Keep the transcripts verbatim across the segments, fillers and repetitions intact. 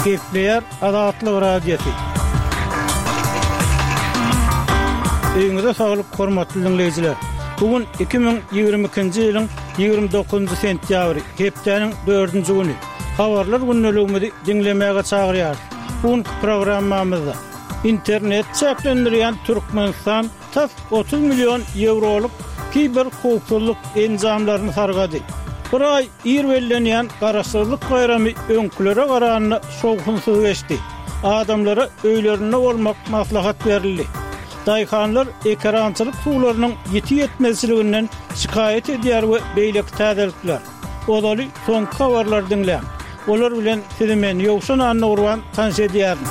Gepleýär Azatlyk Radiosy. Öýüňize saglyk, hormatly diňleýjiler. Bu gün iki müň ýigrimi ikinji ýylyň ýigrimi dokuzynjy sentýabry, hepdäniň dördünji güni. Habarlar gündeligimizi diňlemäge çagyrýarys. Bu günki programmamyzda internet çäklendirýän Türkmenistan tas otuz million ýewrolyk kiber howpsuzlyk enjamlaryny sargady. Bir aý ir bellenýän Garaşsyzlyk baýramy öňkülere garanda şowhunsyz geçdi. Adamlara öýlerinde bolmak maslahat berildi. Daýhanlar ekerançylyk suwlarynyň ýiti ýetmezçiliginden şikaýat edýär we beýleki täzelikler. Ozaly soňky habarlary diňläň. Olar bilen sizi men Ýowşan Annagurban tanyş edýärin.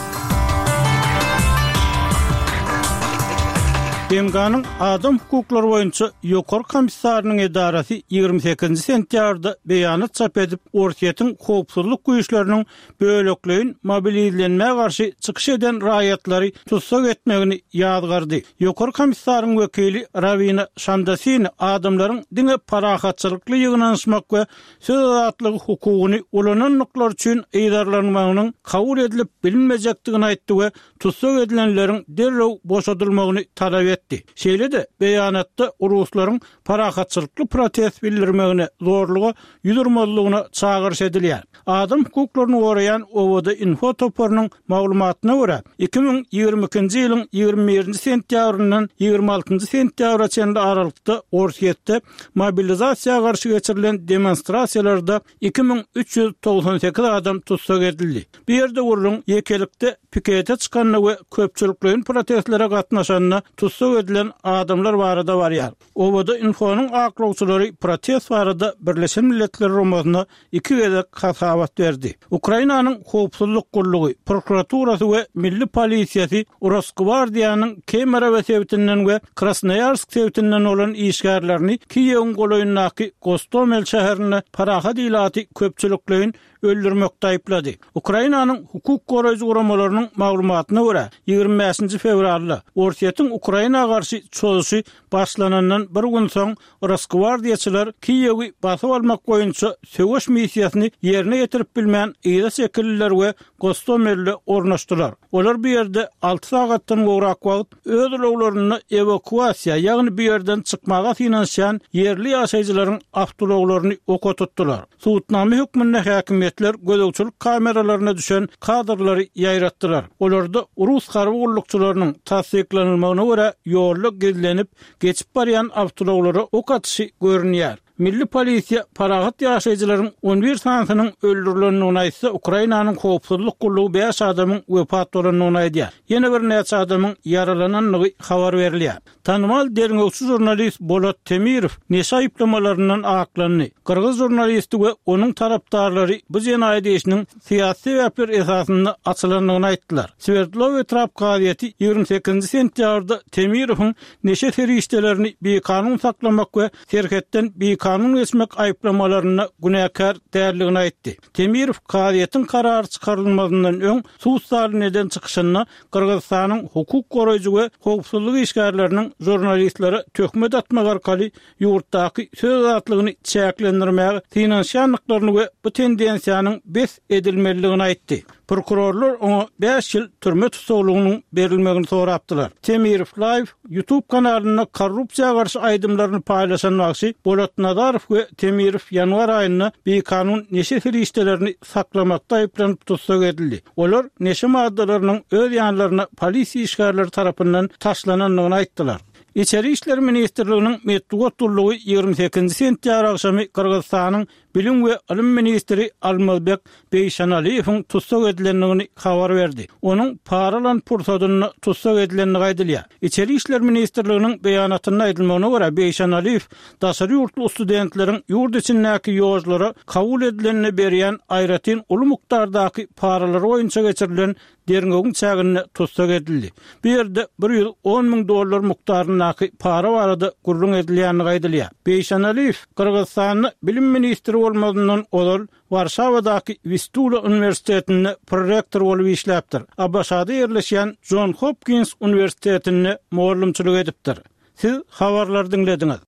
B M G-niň Adam hukuklary boýunça Ýokary komissarynyň edarasy ýigrimi sekizinji sentýabrda beýanat çap edip, Orsýetiň howpsuzlyk güýçleriniň bölekleýin mobilizlenmä garşy çykyş eden raýatlary tussag etmegini ýazgardy. Ýokary komissaryň wekili Rawina Şamdasini adamlaryň diňe parahatçylykly ýygnanyşmak we söz azatlygy hukugyny ulanandyklary üçin yzarlanmagynyň kabul edilip bilinmejekdigini aýtdy we tussag edilenleriň derrew boşadylmagyny talap etdi. Şeýle-de beýanatda ruslaryň parahatçylykly protest bildirmegine zorluga ýüz urmazlygyna çagyryş edilýär. Adam hukuklaryny goraýan Owada Info toparynyň maglumatyna görä, iki müň ýigrimi ikinji ýylyň ýigrimi birinji sentýabryndan ýigrimi altynjy sentýabra çenli aralykda Orsýetde mobilizasiýa garşy geçirilen demonstrasiýalarda iki müň üç ýüz togsan sekiz adam tussag edildi. Bu ýerde gürrüň ýekelikde pikete çykanda we köpçülikleýin protestlere gatnaşanda tussag edilen adamlar barada barýar. Owada Infonyň aklawçylary protest barada Birleşen Milletler Guramasyna iki gezek hasabat berdi. Ukrainanyň howpsuzlyk gullugy, prokuraturasy we milli polisiýasy Rosgwardiýanyň Kemerowo sebitinden we Krasnoýarsk sebitinden bolan işgärlerini Kiýewiň golaýyndaky Gostomel şäherinde parahat ilaty köpçülikleýin öldürmekde aýyplady. Ukrainanyň hukuk goraýjy guramalarynyň maglumatyna görä, ýigrimi bäşinji fewralda Orsýetiň Ukraina garşy çozuşy başlanandan bir gün soň Rosgwardiýaçylar Kiýewi basyp almak boýunça söweş missiýasyny ýerine ýetirip bilmän yza çekildiler we Gostomelde ornaşdylar. Olar bu ýerde alty sagatdan gowrak wagt öz ulaglarynda ewakuasiýa, ýagny bu ýerden çykmaga synanyşýan ýerli ýaşaýjylaryň awtoulaglaryny oka tutdular. Subutnama hökmünde häkimiýetler gözegçilik kameralaryna düşen kadrlary ýaýratdylar. Olarda rus harby gullukçylarynyň tassyklanylmagyna görä ýolda gizlenip, geçip barýan awtoulaglara ok atyşy görünýär. Milli polisiýa parahat ýaşaýjylaryň on bir sanysynyň öldürilendigini aýtsa, Ukrainanyň howpsuzlyk gullugy bäş adamyň wepat bolandygyny aýdýar. Ýene birnäçe adamyň ýaralanandygy habar berilýär. Tanymal derňewçi žurnalist Bolat Temirow neşe aýyplamalaryndan aklandy. Gyrgyz žurnalisti we onuň tarapdarlary bu jenaýat işiniň syýasy sebäpler esasynda açylandygyny aýtdylar. Swerdlow etrap kazyýeti ýigrimi sekizinji sentýabrda Temirowyň neşe serişdelerini bikanun saklamak we serhetden bikanun geçmek aýyplamalarynda günäkär däldigini aýtdy. Temirow kazyýetiň karary çykarylmazyndan öň sud zalynda eden çykyşynda Gyrgyzystanyň hukuk goraýjy we howpsuzlyk işgärleriniň žurnalistlere töhmet atmak arkaly ýurtdaky söz azatlygyny çäklendirmäge synanyşýandyklaryny we bu tendensiýanyň bes edilmelidigini aýtdy. Prokurorlar oňa bäş ýyl türme tussaglygynyň berilmegini sorapdylar. Temirow Live YouTube kanalynda korrupsiýa garşy aýdymlaryny paýlaşan bagşy Bolat Nazarow we Temirow ýanwar aýynda bikanun neşe serişdelerini saklamakda aýyplanyp tussag edildi. Olar neşe maddalarynyň öz ýanlaryna polisiýa işgärleri tarapyndan taşlanandygyny aýtdylar. Içeri işler ministrliginiň metbugat gullugy ýigrimi sekizinji sentýabr agşamy Gyrgyzystanyň Bilim we ylym ministri Almazbek Beýşanaliýewiň tussag edilendigini habar berdi. Onuň para alan pursadynda tussag edilendigi aýdylýar. Içeri işler ministrliginiň beýanatynda aýdylmagyna görä, Beýşanaliýew daşary ýurtly studentleriň ýurt içindäki ýollara kabul edilenine berýän aýratyn uly mukdardaky paralary boýunça geçirilen derňewiň çäginde tussag edildi. Bu ýerde bir ýüz on müň dollar mukdaryndaky para barada gürrüň edilýändigi aýdylýar. Beýşanaliýew Gyrgyzystanda bilim ministri bolmazyndan ozal Warşawadaky Wistula uniwersitetinde prorektor bolup işläpdir. A B Ş-da ýerleşýän Jon Hopkins uniwersitetinde mugallymçylyk edipdir. Siz habarlary diňlediňiz.